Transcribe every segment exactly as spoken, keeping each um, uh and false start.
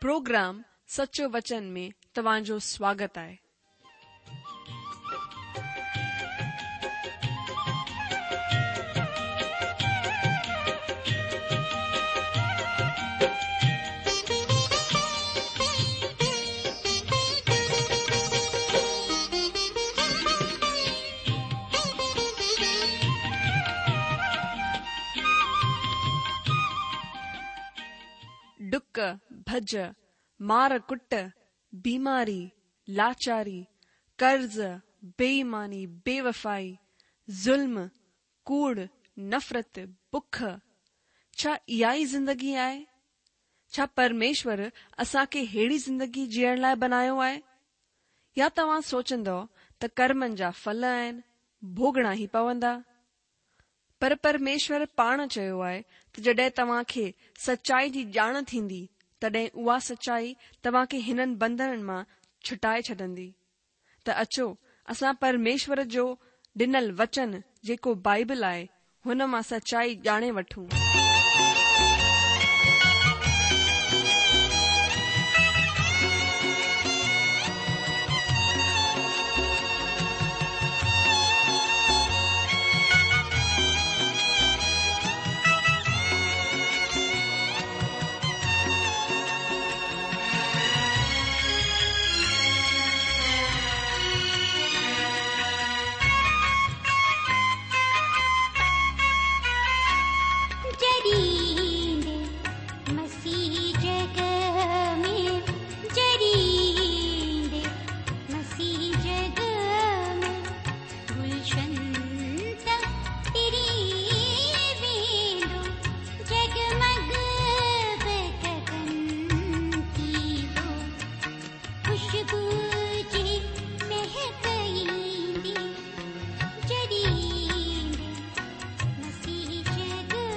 Programme سچو وچن ۾ توهان جو سواگت آهي. ڊڪ، ڀڄ، مار ڪٽ، بيماري، لاچاري، قرض، بي ايماني، بيوفائي، ظلم، ڪوڙ، نفرت، بک. ڇا اها ئي زندگي آهي؟ ڇا پرميشور اسان کي ههڙي زندگي جيئڻ لاء بنايو آهي؟ يا توهان سوچندؤ ته ڪرمن جا ڦل آهن، ڀوڳڻا ئي پوندا؟ پر پرميشور پاڻ چيو آهي ته جڏهن توهان کي سچائي جي ڄاڻ ٿيندي، تڏهن اها سچائي توهان کي هنن بنڌنن مان ڇٽائي ڇڏندي. ته اچو اسان پرميشور جو ڏنل وچن جيڪو بائبل آهي، هن مان سچائي ڄاڻي وٺون. جڏهن مسيح جڳ ۾، جڏهن مسيح جڳ ۾، گلشن ته ٽري ويندو، جڳمڳ به گگن ٿيندو، خوشبو جي مهڪ ايندي، جڏهن مسيح جڳ ۾.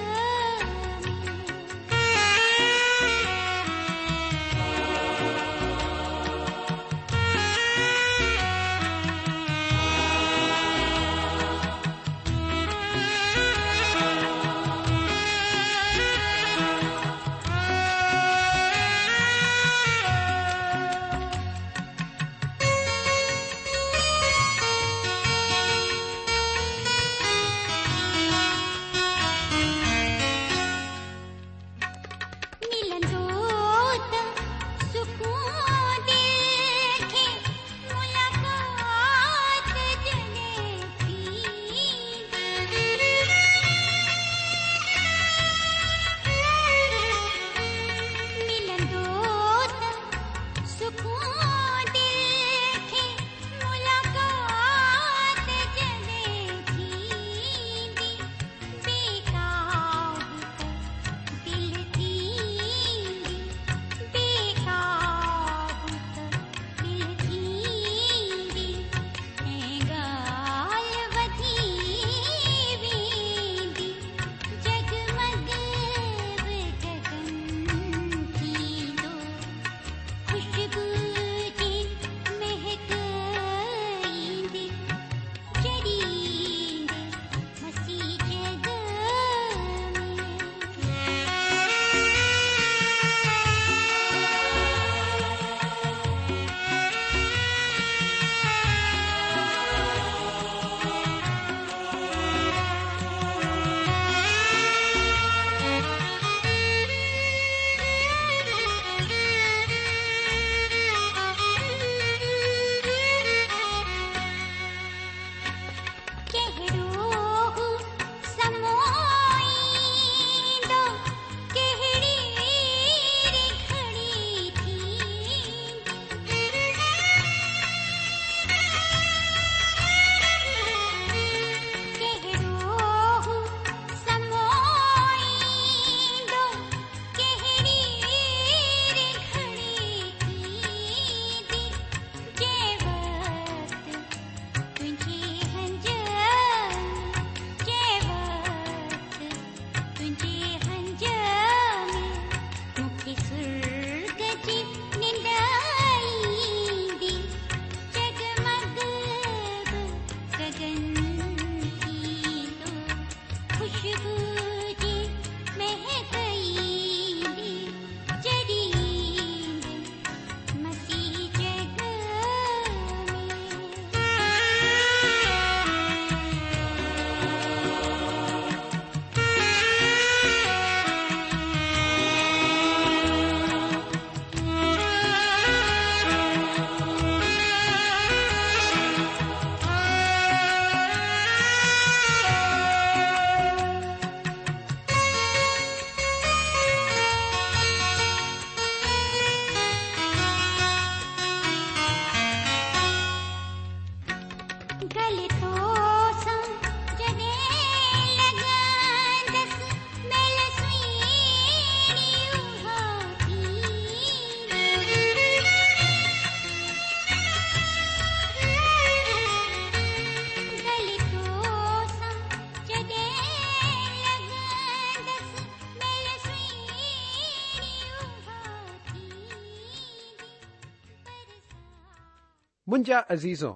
منهنجا عزيزو،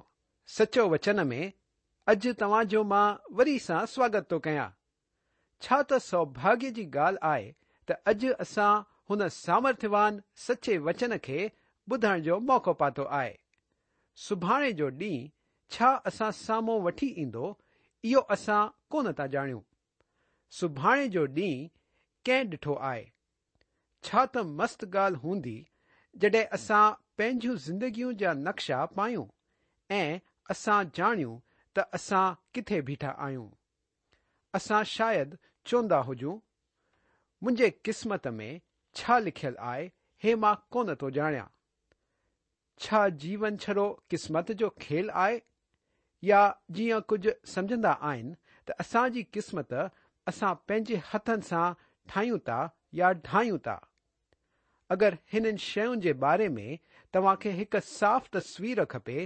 سچو وچن ۾ اڄ توهان جو مان وري سان سواگت ٿو ڪيان. ڇا ته سوڀاگيه جي ڳالهه آهي ته اڄ اسان هن سامرٿيوان سچي وچن کي ٻڌڻ جو موقعو پاتو آهي. سڀاڻي جو ڏينهن ڇا اسان سامهون وٺي ايندو، اهو اسان ڪونه ٿا ڄاڻيون. سڀاڻي جو ڏينهن ڪنهن ڏٺو آهي؟ ڇا ته مست ڳالهه هوندي جڏهن اسان پنهنجون زندگيون جا نقشا پايون ۽ اسان ڄاڻيون ته اسان ڪٿي بيٺا آهيون. اسان شايد چوندا هجون، منهنجي قسمت ۾ ڇا لکيل آهي هي مان ڪونه ٿو ڄاڻيان. ڇا جيون ڇڙو قسمت جو کيل آهي؟ يا جيئن ڪجهه سمجهندا آهن ته اسان جي قسمت اسان پنهنجي هٿن سان ٺاهيون ٿا يا ڊاهيون ٿا. اگر هنن شين جي باري ۾ توهان کي هڪ صاف تصوير کپي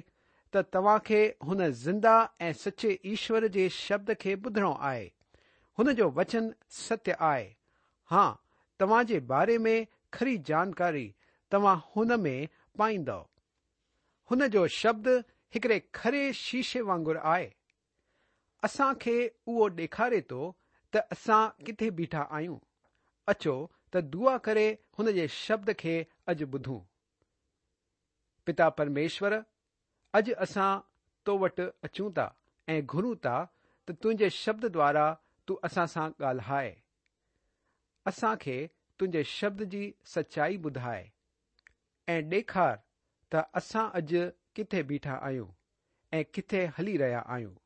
ته توهان کي هن زنده ۽ سچي ايشور جي شبد کي ٻڌڻو آهي. هن جو وچن ستيه آهي. ها، توهان جي باري ۾ کري جانڪاري توهان هن ۾ پائيندؤ. هن جو شبد هڪڙي کري شيشي وانگر آهي. اسان کي اهو ڏيکاري ٿو ته اسان ڪٿي بيٺا آهيون. اچو ته دعا ڪري هن جي شبد کي اڄ ٻڌون. پتا پرميشور، اڄ اسان تو وٽ اچون ٿا ۽ گهرون ٿا ته تنهنجي شبد دوارا تون اسان سان ڳالهائي. اسان کي تنهنجي شبد جي سچائي ٻڌائي ۽ ڏيکار ته اسان اڄ ڪٿي بيٺا آهيون ۽ ڪٿي هلي رهيا آهيون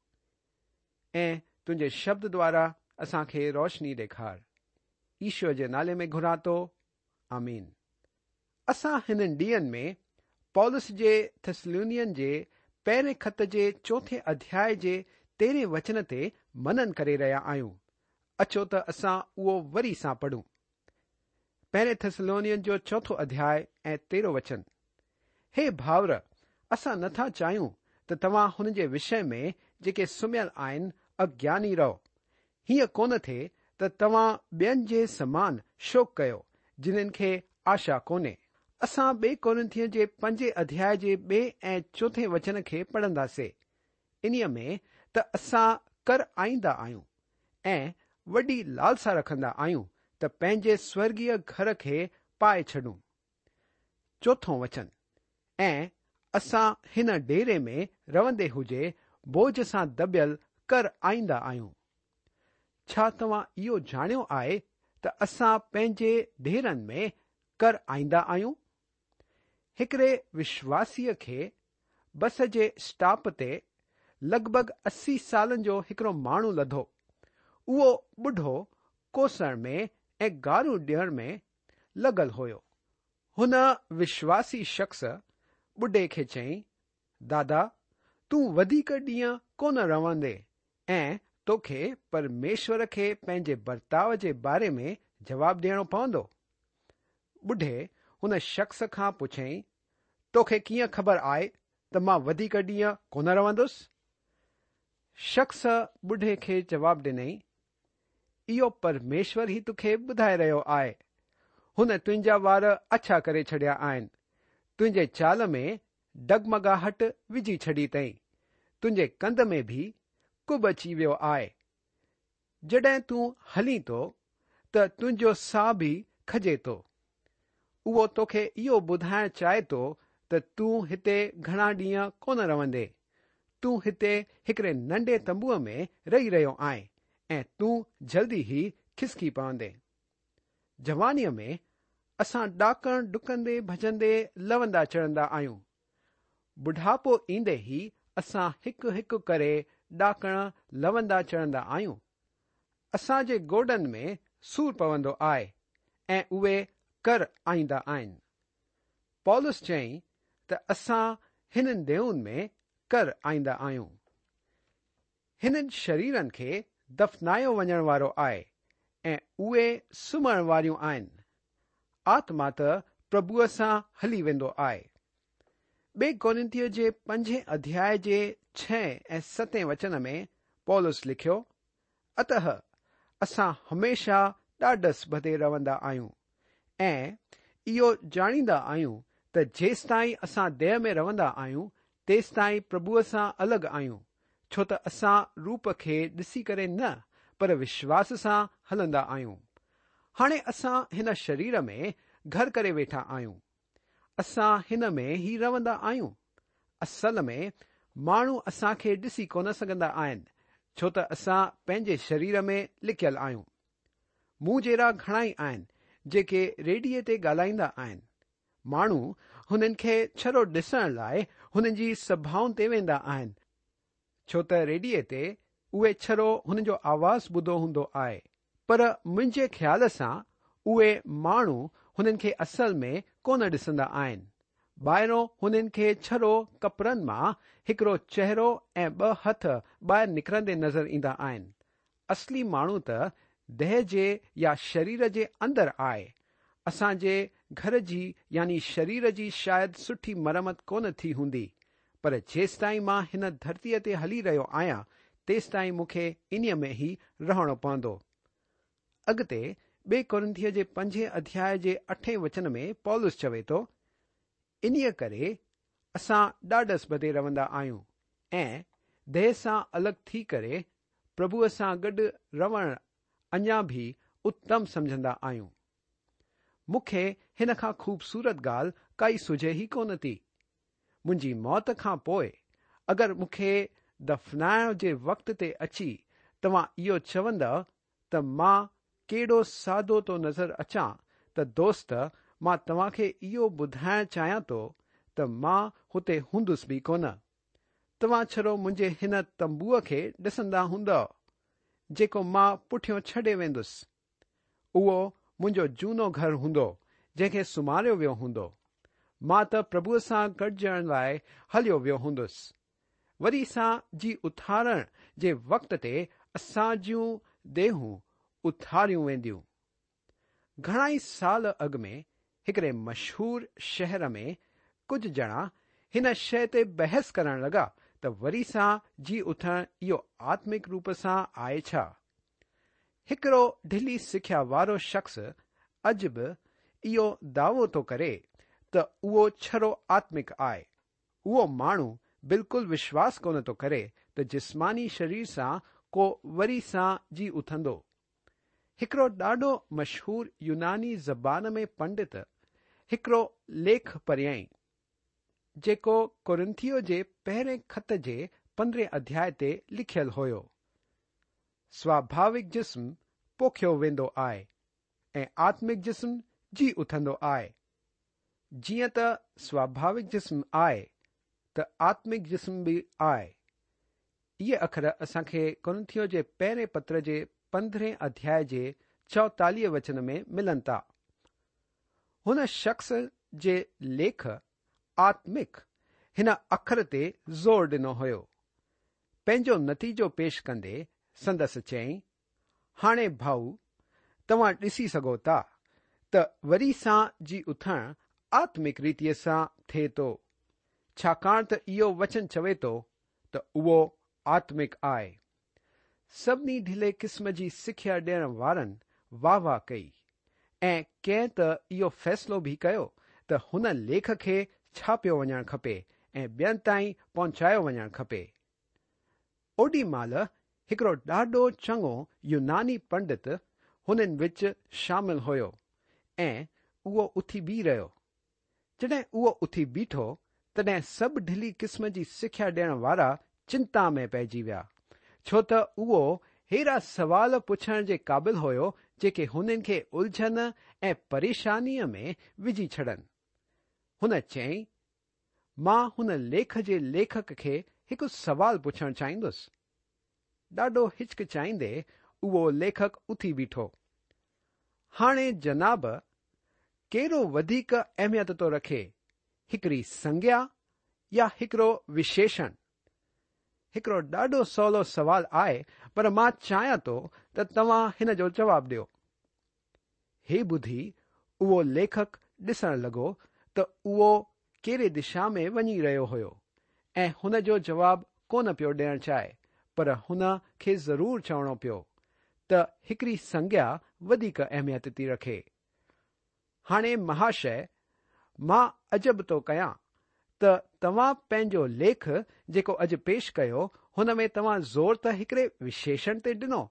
۽ تنهنجي شبد دوارا اسان کي روشني ڏيکار. ايشور جي نالي ۾ گهران ٿو، آمين. اسان هنن ڏينهن ۾ پولس جي ٿيسلونين جي پهرين خط جي چوٿين اڌياء جي تيرهين وچن تي منن ڪري رهيا آهيون. اچو ته اسان اهو وري سان پڙهون. پهرين ٿيسلونين جو چوٿون اڌياء ۽ تيرهون وچن. هي ڀائر، اسان نٿا چاهيون ته توهان هن جي وشي ۾ جيڪي سمهيل آهن اگياني رهو. هيئن ڪونه ٿئي ته توهان ٻين جي سمان شوڪ ڪيو جنهن کي آشا ڪونهي. اسان ٻئي ڪورنٿين جي پنجين اڌياء جي ٻئي ۽ چوٿين وچن کي پڙهنداسين. انهيء ۾ ته اسان ڪر آئيندا آهيون ۽ وڏي لالسا رکندا آهيون ته پنهنجي سورڳيه گهر کي پائي ڇڏون. چوٿون وچن، ۽ اسان هن ڊيري ۾ رهندي هجي بوجهه سان دٻيل ڪر آئيندا آهيون. ڇا توهان اهو ڄاڻيو آهي ته اسان پنهنجي ڊيرن ۾ ڪر آئيندا آهيون؟ هڪڙي وشواسيء کي بس جي اسٽاپ تي لڳ ڀڳ اسي سالن جو هڪڙو ماڻهو لڌو. اهو ٻڍو ڪوسڻ ۾ ۽ گاريون ڏيڻ ۾ لڳل هيو. هن وشواسي شخص ٻڍي کي چيائين، دادا، تون وڌيڪ ڏينهن ڪونه رهندين ۽ توکي پرميشور کي پنهنجي برتاءُ جي باري ۾ جواب ڏيڻو پوندو. ٻڍي هن شخص کان پڇيائين، توکي ڪيئن خبر آهي ته مان وڌيڪ ڏينهن ڪونه رهندس؟ شخص ٻڍي کي جواب ڏنائين، اهو پرميشور ئي توکي ٻڌائي رهيو آهي. هن تنهنجا وار اڇا ڪري ڇڏيا آهن. تنهنجي چال ۾ ڊگمگاهٽ وجهي ڇڏي اٿئي. تنهنجي ڪنڌ ۾ به ڪب اچي ويو آهي. جڏهن تون هلين ٿو ته تنهنجو ساهه به کڄي ٿو. اهو توکي اهو ٻڌائڻ چاهي ٿو ته تون هتي گهڻا ڏينهن ڪونه رهندين. تون هتي هڪڙي ننڍي تنبوءَ ۾ رهي رهيو آهين ۽ تون جلدي ئي کسڪي پوندين. جوانيءَ ۾ اسان ڏاڪڻ ڊڪندي ڀڄندي لوندا چڙهندا آهيون. ٻڍاپو ايندي ئي اسان هڪ هڪ ڪري ڏاڪڻ لوندا چڙهندا آهيون. اسان جي گوڏن ۾ سور پوندو آهي ۽ اهي ڪر آئيندا آهن. پولس چيائين ته اسان هنن ديهن ۾ ڪر آئيندا آهيون. هنن شريرن کي دفنايو وڃڻ وارو آهي ۽ اهي سمهڻ واريون آهن. آتما ته پرڀوءَ سان هلي ويندو آهي. ٻئي ڪورنٿيءَ جي پنجين اڌياءَ جي ڇهين ۽ ستين وچن ۾ پولس لکيو، اتهه اسان هميشه ڏاڍس ٻڌي رهندا آهيون ۽ اهو ڄاڻيندا آهيون ته جيستائين اسان ديهه ۾ رهندا آهيون तेसिताईं प्रभुअ सां अलॻि आहियूं, छो त असां रूप खे ॾिसी करे न, पर विश्वास सां हलंदा आहियूं। हाणे असां हिन शरीर में घर करे वेठा आहियूं। असां हिन में ई रहंदा आहियूं। असल में माण्हू असांखे ॾिसी कोन सघंदा आहिनि, छो त असां पंहिंजे शरीर में लिकियल आहियूं। मूं जहिड़ा घणा ई आहिनि जेके रेडियो ते ॻाल्हाईंदा आहिनि। माण्हू हुननि खे छड़ो ॾिसण लाइ हुननि जी सभाउनि ते वेंदा आहिनि, छो त रेडियो ते उहे छड़ो हुननि जो आवाज़ ॿुधो हूंदो आहे। पर मुंहिंजे ख़्याल सां उहे माण्हू हुननि खे असल में कोन ॾिसंदा आहिनि। ॿाहिरों हुननि खे छड़ो कपिड़नि मां हिकिड़ो चेहरो ऐं ॿ हथ ॿाहिरि निकिरंदे नज़र ईंदा आहिनि। असली माण्हू त देह जे या शरीर जे अंदरि आहे। असांजे घर जी यानी शरीर जी शायदि सुठी मरमत कोन थी हूंदी, पर जेसिताईं मां हिन धरतीअ ते हली रहियो आहियां तेसिताईं मूंखे इन्हीअ में ई रहणो पवंदो। अॻिते ॿिए कुरिन्थियों जे पंजे अध्याय जे अठें वचन में पौलुस चवे थो, इन्हीअ करे असां ॾाढस ॿधे रहंदा आहियूं ऐं देह सां अलॻि थी करे प्रभुअ सां गॾु रहण अञा बि उत्तम सम्झंदा आहियूं। मूंखे हिन खां ख़ूबसूरत ॻाल्हि काई सुझे ई कोन थी। मुंहिंजी मौत खां पोइ अगरि मूंखे दफ़नाइण जे वक़्त ते अची तव्हां इहो चवंदव त मां केॾो सादो थो नज़र अचां, त दोस्त मां तव्हांखे इहो ॿुधाइण चाहियां थो त मां हुते हूंदुसि बि कोन। तव्हां छड़ो मुंहिंजे हिन तंबूअ खे ॾिसंदा हूंदव जेको मां पुठियों छॾे वेंदुसि। उहो मुंहिंजो जूनो घर हूंदो जंहिंखे सुम्हारियो वियो हूंदो। मां त प्रभुअ सां गॾिजण लाइ हलियो वियो हूंदुसि। वरी सां जी उथारण जे वक़्त ते असांजूं देहूं उथारियूं वेंदियूं। घणा ई साल अॻु में हिकिड़े मशहूर शहर में कुझु ॼणा हिन शइ ते बहस करण लॻा त वरी सां जी उथण इहो आत्मिक रूप सां आहे छा। हिकिड़ो ढिली सिख्या वारो शख़्स अॼु बि इहो दावो थो करे त उहो छड़ो आत्मिक आहे। उहो माण्हू बिल्कुलु विश्वास कोन थो करे त जिस्मानी शरीर सां को वरी सां जी उथंदो। हिकिड़ो ॾाढो मशहूर यूनानी ज़बान में पंडित हिकिड़ो लेख पढ़ियईं जेको कुरिन्थियों जे पहिरें ख़त जे पंद्रहें अध्याय ते लिखियल हुयो। स्वाभाविक जिस्म पोखियो वेंदो आहे ऐं आत्मिक जिस्म जी उथंदो आहे। जीअं त स्वाभाविक जिस्म आहे त आत्मिक जिस्म बि आहे। इहे अखर असांखे कुरिन्थियों जे पहिरें पत्र जे पंद्रहें अध्याय जे चौतालीह वचन में मिलनि था। हुन शख़्स जे लेख आत्मिक हिन अखर ते ज़ोर ॾिनो हुयो। पंहिंजो नतीजो पेश कंदे संदसि चयईं, हाणे भाऊ तव्हां ॾिसी सघो था त वरी सां जी उथण आत्मिक रीतीअ सां थिए थो, छाकाणि त इहो वचन चवे थो त उहो आत्मिक आहे। सभिनी ढिले क़िस्म जी सिख्या ॾियण वारनि वाह वाह कई ऐं कंहिं त इहो फ़ैसिलो बि कयो त हुन लेख खे छापियो वञणु खपे ऐं ॿियनि ताईं पहुचायो वञणु खपे। ओॾी महिल हिकिड़ो ॾाढो चङो यूनानी पंडित हुननि विच शामिल हुयो ऐं उहो उथी बीह रहियो। जॾहिं उहो उथी बीठो तॾहिं सभु ढिली क़िस्म जी सिख्या ॾियण वारा चिंता में पइजी विया, छो त उहो अहिड़ा सवाल पुछण जे क़ाबिल हुयो जेके हुननि खे उलझन ऐं परेशानीअ में विझी छॾनि। हुन चयईं, मां हुन लेख जे लेखक खे हिकु सवाल पुछणु चाहींदुसि। ॾाढो हिचकिचाईंदे उहो लेखक उथी बीठो। हाणे जनाब, केड़ो वधीक अहमियत थो रखे, हिकिड़ी संज्ञा या हिकिड़ो विशेषण? हिकिड़ो ॾाढो सवलो सवाल आहे, पर मां चाहियां थो त तव्हां हिन जो जवाबु ॾियो। हे ॿुधी उहो लेखक ॾिसण लॻो त उहो कहिड़े दिशा में वञी रहियो हुयो ऐं हुन जो जवाबु कोन पियो ॾियणु चाहे, पर हुन खे ज़रूरु चवणो पियो त हिकिड़ी संज्ञा वधीक अहमियत थी रखे। हाणे महाशय, मां अजब थो कयां त तव्हां पंहिंजो लेख जेको अॼु पेश कयो हुन में तव्हां ज़ोर त हिकिड़े विशेषण ते ॾिनो,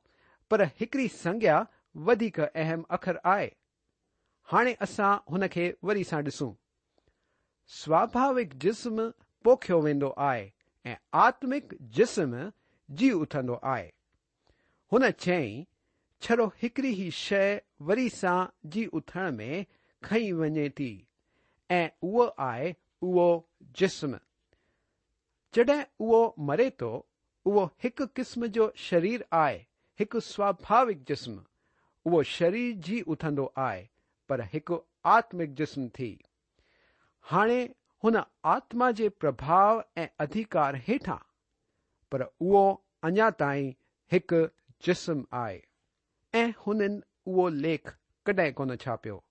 पर हिकिड़ी संज्ञा वधीक अहम अखर आहे। हाणे असां हुन खे वरी सां ॾिसूं। स्वाभाविक जिस्म पोखियो वेंदो आहे ऐं आत्मिक जिस्म जी उथंदो आहे। हुन चयईं, छड़ो हिकिड़ी ई शइ वरी सां जी उथण में खणी वञे थी ऐं उहो आहे उहो जिस्म। जॾहिं उहो मरे थो, उहो हिकु क़िस्म जो शरीर आहे, हिकु स्वाभाविक जिस्म। उहो शरीर जी उथंदो आहे, पर हिकु आत्मिक जिस्म थी। हाणे हुन आत्मा जे प्रभाव ऐं अधिकार हेठां, पर उहो अञा ताईं हिकु जिस्म आहे। ऐं हुननि उहो लेख कॾहिं कोन छापियो।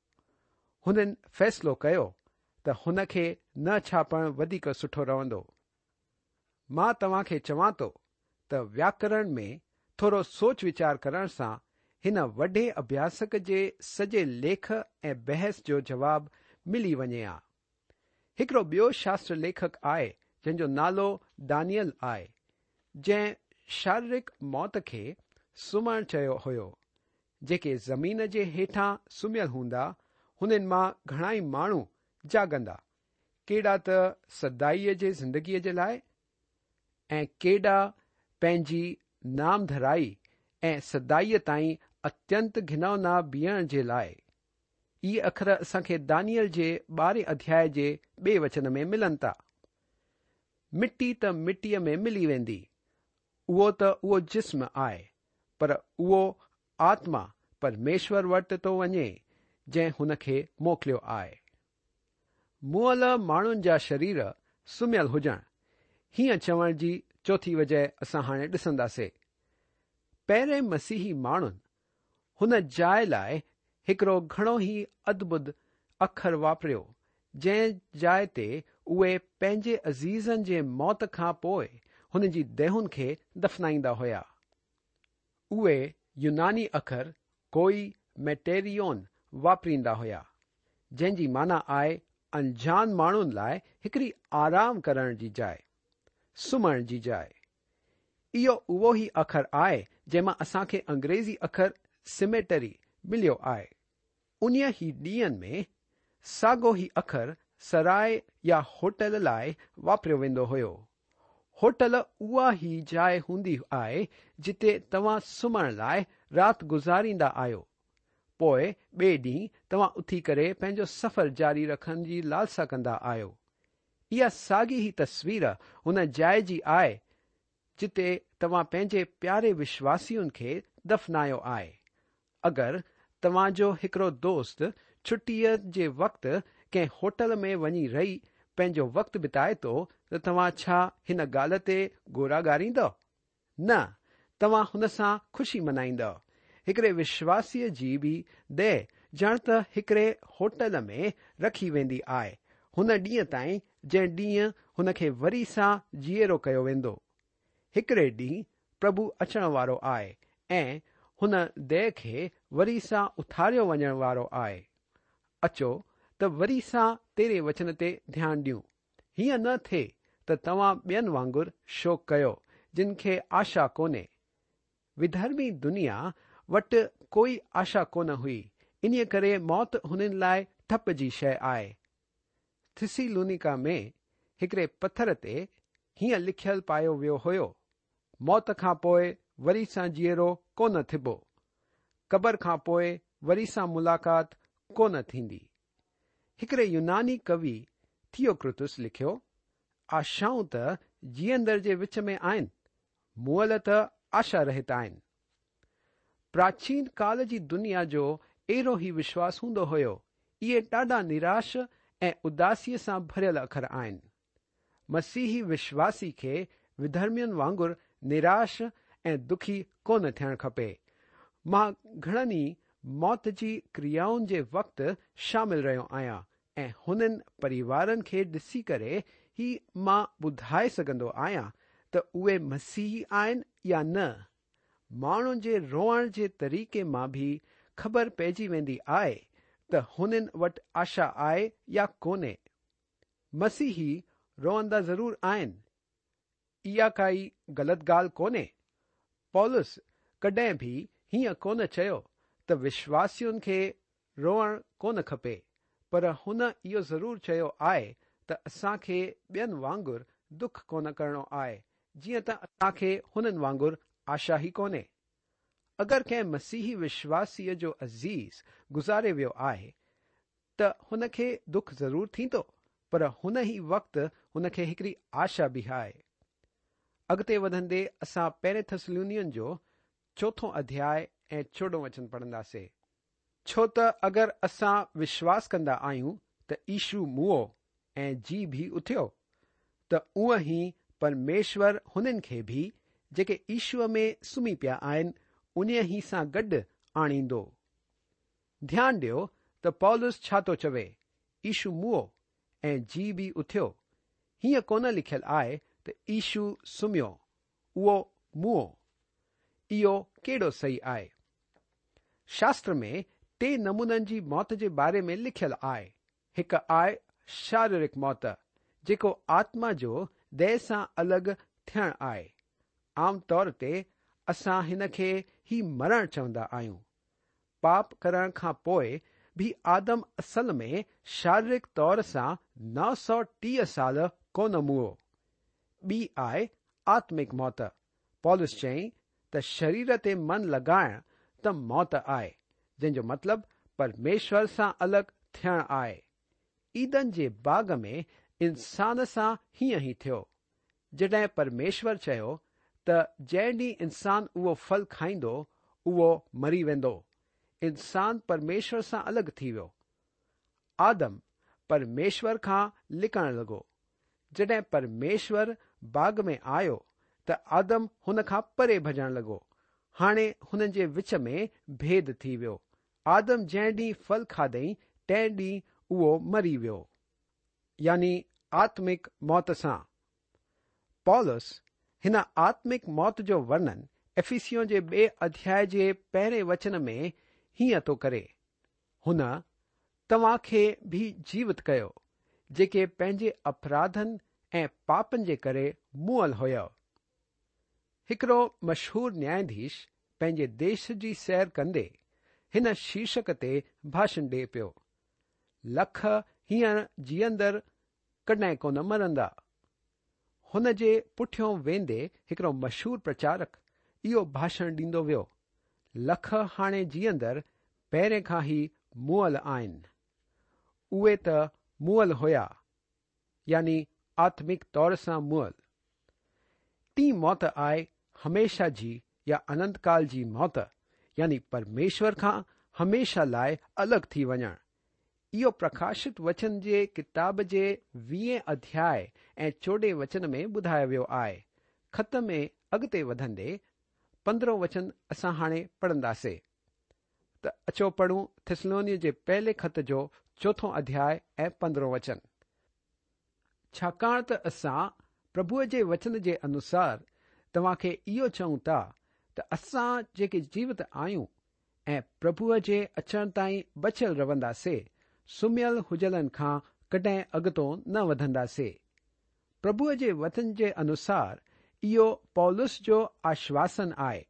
हुननि फ़ैसिलो कयो त हुन खे न छापणु वधीक सुठो रहंदो। मां तव्हांखे चवां थो त व्याकरण में थोरो सोच वीचार करण सां हिन वॾे अभ्यासक जे सॼे लेख ऐं बहस जो जवाब मिली वञे हा। हिकिड़ो ॿियो शास्त्र लेखक आहे जंहिंजो नालो दानियल आहे, जंहिं शारीरिक मौत खे सुम्हणु चयो हुयो। जेके ज़मीन जे हेठां सुम्हियल हूंदा, हुननि मां घणा ई माण्हू जागंदा, केॾा त सदाईअ जे ज़िंदगीअ जे लाइ ऐं केॾा पंहिंजी नामधराई ऐं सदाईअ ताईं अत्यंत घिनौना बीहण जे लाइ। इहे अखर असांखे दानियल जे ॿारहें अध्याय जे ॿिए वचन में मिलनि था। मिटी त मिटीअ में मिली वेंदी, उहो त उहो जिस्म आहे, पर उहो आत्मा परमेश्वर वटि थो वञे जंहिं हुनखे मोकिलियो आहे। मुअल माण्हुनि जा शरीर सुम्हियल हुजणु, हीअं चवण जी चोथी वजह असां हाणे ॾिसंदासीं। पहिरें मसीही माण्हुनि हुन जाइ लाइ हिकिड़ो घणो ई अद्भुत अखर वापरियो, जंहिं जाइ ते उहे पंहिंजे अज़ीज़नि जे मौत खां पोइ हुन जी देहुनि खे दफ़नाईंदा हुया। उहे यूनानी अखर कोई मेटेरियोन वापरींदा हुया, जंहिंजी माना आहे अनजान माण्हुनि लाइ हिकिड़ी आराम करण जी जाइ, सुम्हण जी जाइ। इहो उहो ई अखर आहे जंहिं मां असांखे अंग्रेज़ी अखर सिमेटरी मिलियो आहे। उन ई ॾींहंनि में साॻियो ई अखर सराय या होटल लाइ वापरियो वेंदो हुयो। होटल उहा ई जाइ हूंदी आहे जिते तव्हां सुम्हण लाइ राति गुज़ारींदा आहियो, पोइ ॿिए ॾींहुं तव्हां उथी करे पंहिंजो सफ़र जारी रखण जी लालसा कंदा आहियो। इहा साॻी ई तस्वीर हुन जाइ जी आहे जिते तव्हां पंहिंजे प्यारे विश्वासियुनि खे दफ़नायो आहे। अगरि तव्हांजो हिकिड़ो दोस्त छुटीअ जे वक़्तु कंहिं होटल में वञी रही पंहिंजो वक़्तु बिताए थो त तव्हां छा हिन ॻाल्हि ते ॻोरा ॻारींदव? न, तव्हां हुन सां ख़ुशी मल्हाईंदव। हिकिड़े विश्वासीअ जी बि देह ॼण त हिकिड़े होटल में रखी वेंदी आहे हुन ॾींहं ताईं जंहिं ॾींहुं हुनखे वरी सां जीअरो कयो वेंदो। हिकिड़े ॾींहुं प्रभु अचण वारो आहे ऐं हुन देह खे वरी सां उथारियो वञण वारो आहे। अचो त वरी सां तेरे वचन ते ध्यानु ॾियूं। हीअं न थिए त तव्हां ॿियनि वांगुरु शोक कयो जिन खे आशा कोन्हे। विधर्मी दुनिया वटि कोई आशा कोन हुई, इन्हीअ करे मौत हुननि लाइ ठप जी शइ आहे। थिसिलुनिका में हिकिड़े पथर ते हीअं लिखियल पायो वियो हुयो, मौत खां पोइ वरी सां जीअरो कोन थिबो, क़बर खां पोइ वरी सां मुलाक़ात कोन थींदी। हिकिड़े यूनानी कवि थियोक्रितुस लिखियो, आशाऊं त जीअंदड़ जे विच में आहिनि, मुअल त आशा रहित आहिनि। प्राचीन काल जी दुनिया जो अहिड़ो ई विश्वास हूंदो हुयो। इहे ॾाढा निराश ऐं उदासीअ सां भरियल अखर आहिनि। मसीही विश्वासी खे विधर्मियुनि वांगुरु निराश ऐं दुखी कोन थियणु खपे। मां घणनि ई मौत जी क्रियाउनि जे वक़्तु शामिल रहियो आहियां ऐं हुननि परिवारनि खे ॾिसी करे ई मां ॿुधाए सघंदो आहियां त उहे मसीही आहिनि या न। माण्हुनि जे रोअण जे तरीक़े मां बि ख़बर पइजी वेंदी आहे त हुननि वटि आशा आहे या कोन्हे। मसीही रोअंदा ज़रूर आहिनि। इहा काई ग़लति ॻाल्हि कोन्हे। पौलुस कॾहिं बि हीअं कोन चयो त विश्वासियुनि खे रोअणु कोन खपे, पर हुन इहो ज़रूरु चयो आहे त असांखे ॿियनि वांगुरु दुख कोन करिणो आहे, जीअं त असांखे हुननि वांगुरु आशा ई कोन्हे। अगरि कंहिं मसीही विश्वासीअ जो अज़ीज़ गुज़ारे वियो आहे त हुनखे दुख ज़रूरु थींदो, पर हुन ई वक़्तु हुनखे हिकिड़ी आशा बि आहे। अॻिते वधंदे असां पहिरें थिस्सलुनीकनि जो चोथों अध्याय ऐं चोॾहं वचन पढ़ंदासीं। छो त अगरि असां विश्वास कंदा आहियूं त यीशु मुओ ऐं जी बि उथियो, त उअं ई परमेश्वर हुननि खे बि जेके यीशुअ में सुम्ही पिया आहिनि उन ई सां गॾु आणींदो। ध्यानु ॾियो त पौलुस छा थो चवे, यीशु मुओ ऐं जी बि उथियो। हीअं कोन लिखियलु आहे त यीशु सुम्हियो, उहो मुओ। इहो केॾो सही आहे? शास्त्र में टे नमूननि जी मौत जे बारे में लिखियलु आहे। हिकु आहे शारीरिक मौत, जेको आत्मा जो देह सां अलॻि थियणु आहे। आम तौर ते असां हिन खे ही मरणु चवंदा आहियूं। पाप करण खां पोइ बि आदम असल में शारीरिक तौर सां नौ सौ टीह साल कोन मुओ। ॿी आहे आत्मिक मौत। पौलुस चयईं त शरीर ते मन लॻाइण त मौत आहे, जंहिंजो मतिलबु परमेश्वर सां अलॻि थियणु आहे। ईदन जे बाग़ में इंसान सां हीअं ई थियो। जॾहिं परमेश्वर चयो त जंहिं ॾींहुं इंसान उहो फल खाईंदो उहो मरी वेंदो, इंसान परमेश्वर सां अलॻि थी वियो। आदम परमेश्वर खां लिकणु लॻो। जॾहिं परमेश्वर बाग़ में आयो त आदम हुन खां परे भॼणु लॻो। हाणे हुननि जे विच में भेद थी वियो। आदम जंहिं ॾींहुं फल खाधई तंहिं ॾींहुं उहो मरी वियो, यानी आत्मिक मौत सां। पौलुस हिन आत्मिक मौत जो वर्णन एफिसियों जे ॿिए अध्याय जे पहिरें वचन में हीअं थो करे, हुन तव्हां खे बि जीवित कयो जेके पंहिंजे अपराधनि ऐं पापनि जे करे मुअल हुयो। हिकिड़ो मशहूर न्यायाधीश पंहिंजे देश जी सैर कंदे हिन शीर्षक ते भाषण ॾिए पियो, लख हींअर जीअंदड़ कॾहिं कोन मरंदा। हुन जे पुठियों वेंदे हिकिड़ो मशहूर प्रचारक इहो भाषण ॾींदो वियो, लख हाणे जीअंदड़ पहिरें खां ई मुअल आहिनि। उहे त मुअल हुया, यानी आत्मिक तौर सां मुअल। टीं मौत आहे हमेशा जी या अनंत काल जी मौत, यानी परमेश्वर खां हमेशा लाइ अलॻि थी वञणु। इहो प्रकाशित वचन जे किताब जे वीहें अध्याय ऐं चोॾहें वचन में ॿुधायो वियो आहे। ख़त में अॻिते वधंदे पंद्रहों वचन असां हाणे पढ़ंदासीं। त अचो पढ़ूं थिस्सलुनीकनि जे पहले ख़त जो चोथों अध्याय ऐं पंद्रहों वचन। छाकाणि त असां प्रभुअ जे वचन जे अनुसार तव्हांखे इहो चऊं था त असां जेके जीवित आहियूं ऐं प्रभुअ जे अचण ताईं बचियल रहंदासीं, सुम्हियल हुजलनि खां कॾहिं अॻितो न वधंदासीं। प्रभुअ जे वचन जे अनुसार इहो पौलुस जो आश्वासन आहे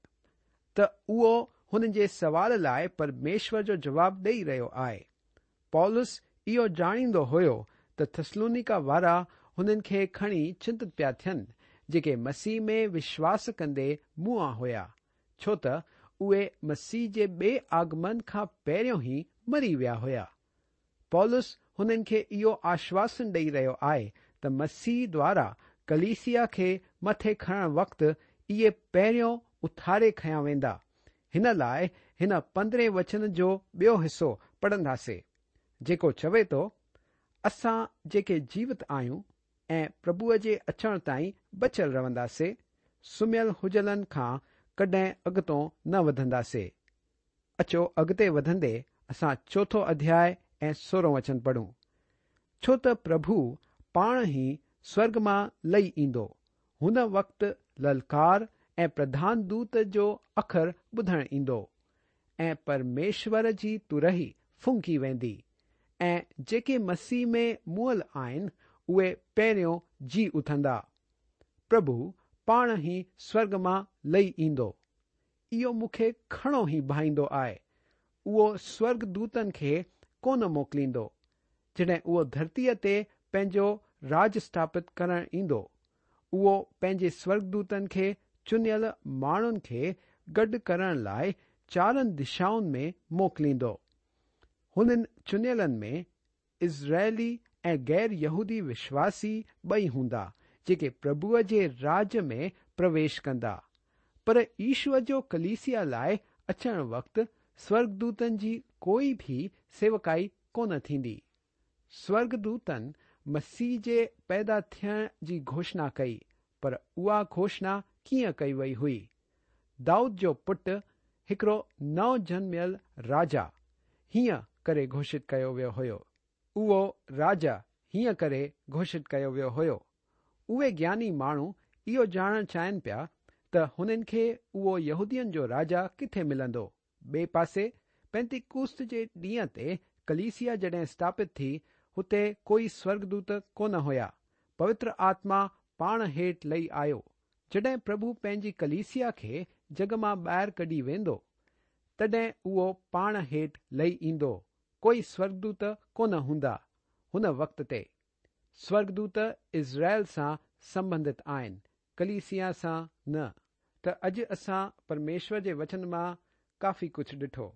त उहो हुननि जे सवाल लाइ परमेश्वर जो जवाबु ॾेई रहियो आहे। पौलुस इहो ॼाणींदो हुयो त थिस्सलुनीका वारा हुननि खे खणी चिंतित पिया थियनि जेके मसीह में विश्वास कंदे मुआ हुया, छो त उहे मसीह जे ॿिए आगमन खां पहिरियों ई मरी विया हुया। पौलुस हुननि खे इहो आश्वासन ॾेई रहियो आहे त मसीह द्वारा कलीसिया खे मथे खणण वक़्तु इहे पहिरियों उथारे खयां वेंदा। हिन लाइ हिन पंद्रहें वचन जो ॿियो हिसो पढ़ंदासीं, जेको चवे थो, असां जेके जीवित आहियूं ऐं प्रभुअ जे अचण ताईं बचियल रहंदासीं, सुम्हियल हुजलनि खां कॾहिं अॻितो न वधंदासीं। अचो अॻिते वधंदे असां चोथों अध्याय ऐं सोरहों वचन पढ़ूं। छो त प्रभु पाण ई स्वर्ग मां लही ईंदो, हुन वक़्तु ललकार ऐं प्रधान दूत जो अखर ॿुधण ईंदो ऐं परमेश्वर जी तुरही फुंकी वेंदी ऐं जेके मसीह में मुअल आहिनि उहे पहिरियों जी उथंदा। प्रभु पाण ई स्वर्ग मां लही ईंदो। इहो मूंखे घणो ई भाईंदो आहे। उहो स्वर्गदूतनि खे कोन मोकिलींदो। जॾहिं उहो धरतीअ ते पंहिंजो राज स्थापित करण ईंदो, उहो पंहिंजे स्वर्गदूतनि खे चुनियल माण्हुनि खे गॾु करण लाइ चारनि दिशाउनि में मोकिलींदो। हुननि चुनियलनि में इज़राइली ऐं गैर यहूदी विश्वासी ॿई हूंदा, जेके प्रभुअ जे राज में प्रवेश कंदा। पर ईश्वर जो कलीसिया लाइ अचण वक़्तु स्वर्गदूतनि जी कोई बि सेवकाई कोन थींदी। स्वर्गदूतनि मसीह जे पैदा थियण जी घोषणा कई, पर उहा घोषणा कीअं कई वई हुई? दाऊद जो पुट हिकिड़ो नओं जनमियल राजा हीअं करे घोषित कयो वियो हुयो। उहो राजा हीअं करे घोषित कयो वियो हुयो। उहे ज्ञानी माण्हू इहो ॼाणणु चाहिनि पिया त हुननि खे उहो यहूदियुनि जो राजा किथे मिलंदो। ॿिए पासे पेंतिकुस्त जे ॾींहं ते कलीसिया जॾहिं स्थापित थी, हुते कोई स्वर्गदूत कोन हुया। पवित्र आत्मा पाण हेठि लही आयो। जॾहिं प्रभु पंहिंजी कलीसिया खे जग मां ॿाहिरि कढी वेंदो, तॾहिं उहो पाण हेठि लही ईंदो। कोई स्वर्गदूत कोन हूंदा। हुन वक़्त ते स्वर्गदूत इज़राइल सां संबंधित आहिनि, कलीसिया सां न। त अॼु असां परमेश्वर जे वचन मां काफ़ी कुझु ॾिठो।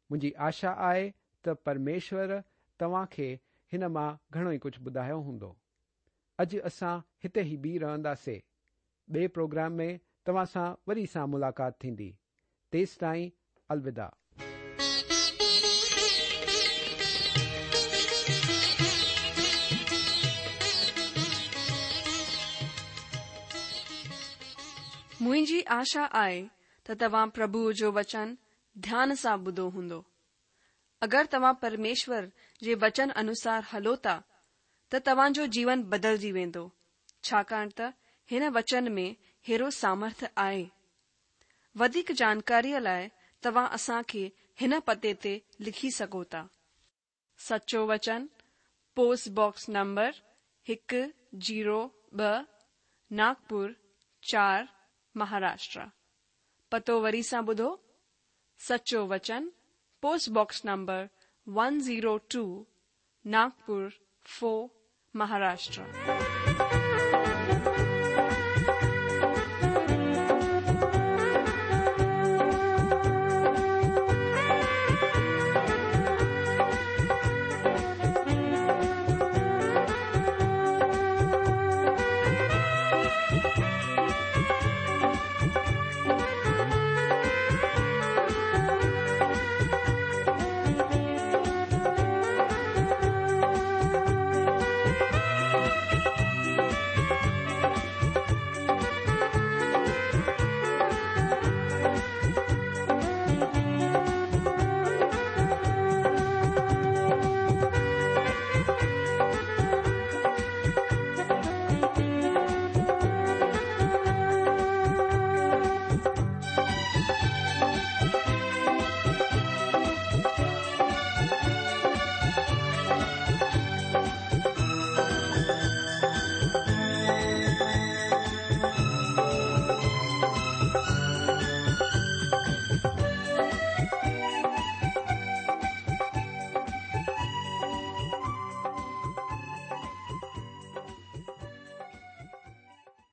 मुंहिंजी आशा आहे त परमेश्वर तव्हांखे हिन मां घणो ई कुझु ॿुधायो हूंदो। अॼु असां हिते ई बीह रहंदासीं। ॿिए प्रोग्राम में तव्हां सां वरी सां मुलाक़ात थींदी। तेसि ताईं अलविदा। मुंहिंजी आशा आहे त तव्हां प्रभुअ जो वचन ध्यान सां ॿुधो हूंदो। अगरि तव्हां परमेश्वर जे वचन अनुसार हलो था त तव्हांजो जीवन बदिलजी वेंदो, छाकाणि त हिन वचन में हेरो सामर्थ आहे। वधीक जानकारीअ लाइ तव्हां असांखे हिन पते ते लिखी सघो था। सचो वचन, पोस्ट बॉक्स नंबर हिकु ज़ीरो ॿ, नागपुर चार, महाराष्ट्र। पतो वरी सां ॿुधो। सचो वचन, post box number one zero two, Nagpur four, Maharashtra.